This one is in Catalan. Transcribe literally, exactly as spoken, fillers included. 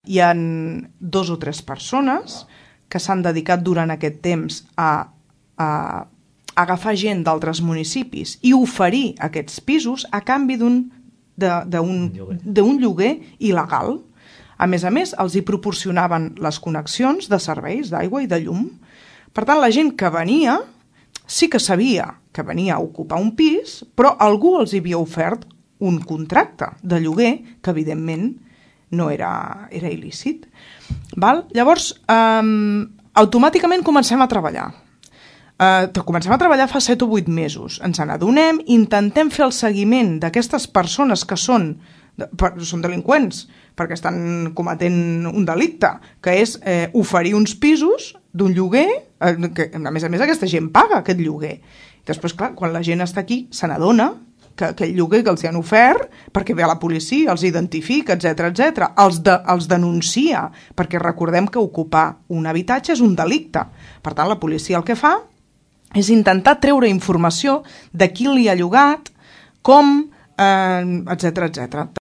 hi ha dos o tres persones que s'han dedicat durant aquest temps a, a agafar gent d'altres municipis i oferir aquests pisos a canvi d'un d'un lloguer il·legal. A més a més, els hi proporcionaven les connexions de serveis d'aigua i de llum. Per tant, la gent que venia sí que sabia que venia a ocupar un pis, però algú els havia ofert un contracte de lloguer que, evidentment, no era, era il·lícit. Val? Llavors, eh, automàticament comencem a treballar. Uh, comencem a treballar fa set o vuit mesos. Ens n'adonem, intentem fer el seguiment d'aquestes persones que són, per, són delinqüents, perquè estan cometent un delicte, que és eh, oferir uns pisos d'un lloguer, eh, que a més a més aquesta gent paga aquest lloguer. I després, clar, quan la gent està aquí, se n'adona que aquell lloguer que els hi han ofert, perquè ve a la policia, els identifica, etcètera, etcètera, els, de, els denuncia, perquè recordem que ocupar un habitatge és un delicte. Per tant, la policia el que fa és intentar treure informació de qui li ha llogat, com, eh, etcètera, etcètera.